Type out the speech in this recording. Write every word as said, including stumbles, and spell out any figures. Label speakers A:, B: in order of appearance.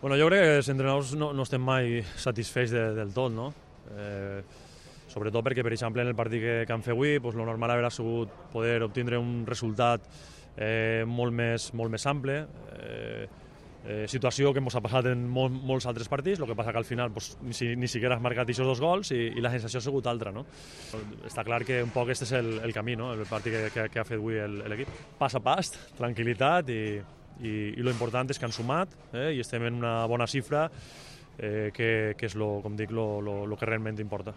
A: Bueno, jo crec que els entrenadors no, no estem mai satisfets de, del tot, no? Eh, sobretot perquè, per exemple, en el partit que, que han fet avui, doncs, lo normal hauria sigut poder obtindre un resultat eh, molt, més, molt més ample. Eh, eh, situació que ens ha passat en molt, molts altres partits, el que passa que al final doncs, ni, si, ni siquiera has marcat aquests dos gols i, i la sensació ha sigut altra, no? Està clar que un poc aquest és el, el camí, no? El partit que, que, que ha fet avui l'equip. Pas a pas, tranquil·litat i, i, i lo important és que han sumat eh, i estem en una bona xifra eh, que, que és lo, com dic, lo, lo, lo que realment importa.